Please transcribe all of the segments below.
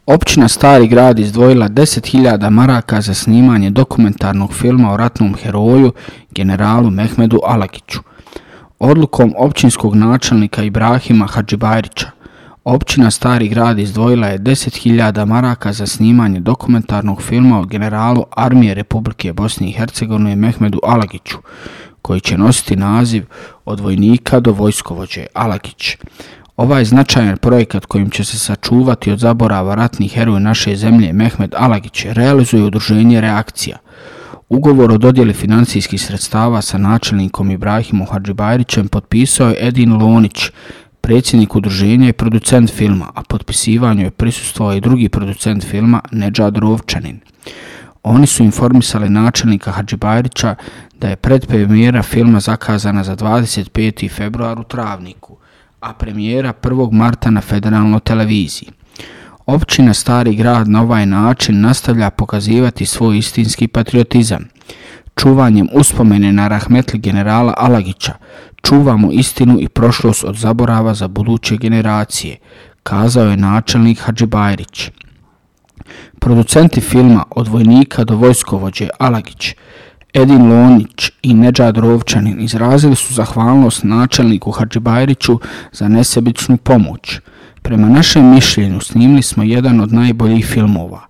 Općina Stari Grad izdvojila 10.000 maraka za snimanje dokumentarnog filma o ratnom heroju generalu Mehmedu Alagiću. Odlukom općinskog načelnika Ibrahima Hadžibajrića, općina Stari Grad izdvojila je 10.000 maraka za snimanje dokumentarnog filma o generalu Armije Republike Bosne i Hercegovine Mehmedu Alagiću, koji će nositi naziv Od vojnika do vojskovođe Alagić. Ovaj značajan projekat kojim će se sačuvati od zaborava ratnih heroja naše zemlje Mehmed Alagić realizuje udruženje Reakcija. Ugovor o dodjeli financijskih sredstava sa načelnikom Ibrahimom Hadžibajrićem potpisao je Edin Lonić, predsjednik udruženja i producent filma, a potpisivanju je prisustvovao i drugi producent filma Nedžad Rovčanin. Oni su informisali načelnika Hadžibajrića da je predpremijera filma zakazana za 25. februar u Travniku, a premijera 1. marta na federalnoj televiziji. Općina Stari Grad na ovaj način nastavlja pokazivati svoj istinski patriotizam. Čuvanjem uspomene na rahmetli generala Alagića čuvamo istinu i prošlost od zaborava za buduće generacije, kazao je načelnik Hadžibajrić. Producenti filma Od vojnika do vojskovođe Alagić, Edin Lonić i Nedžad Rovčanin izrazili su zahvalnost načelniku Hadžibajriću za nesebičnu pomoć. Prema našem mišljenju snimili smo jedan od najboljih filmova.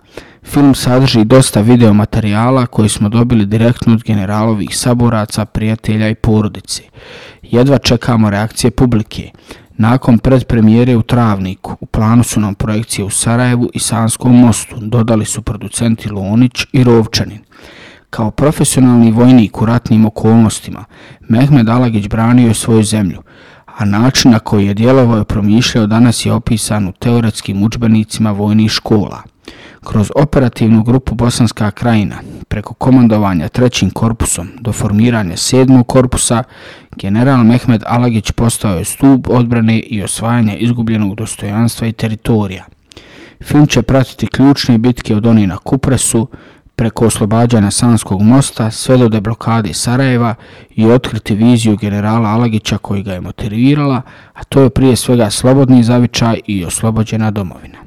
Film sadrži dosta videomaterijala koji smo dobili direktno od generalovih saboraca, prijatelja i porodice. Jedva čekamo reakcije publike. Nakon predpremijere u Travniku, u planu su nam projekcije u Sarajevu i Sanskom mostu, dodali su producenti Lonić i Rovčanin. Kao profesionalni vojnik u ratnim okolnostima, Mehmed Alagić branio je svoju zemlju, a način na koji je djelovao i promišljao danas je opisan u teoretskim udžbenicima vojnih škola. Kroz operativnu grupu Bosanska Krajina, preko komandovanja 3. korpusom do formiranja 7. korpusa, general Mehmed Alagić postao je stup odbrane i osvajanja izgubljenog dostojanstva i teritorija. Film će pratiti ključne bitke od onih na Kupresu, preko oslobađanja Sanskog mosta sve do deblokade Sarajeva i otkriti viziju generala Alagića koji ga je motivirala, a to je prije svega slobodni zavičaj i oslobođena domovina.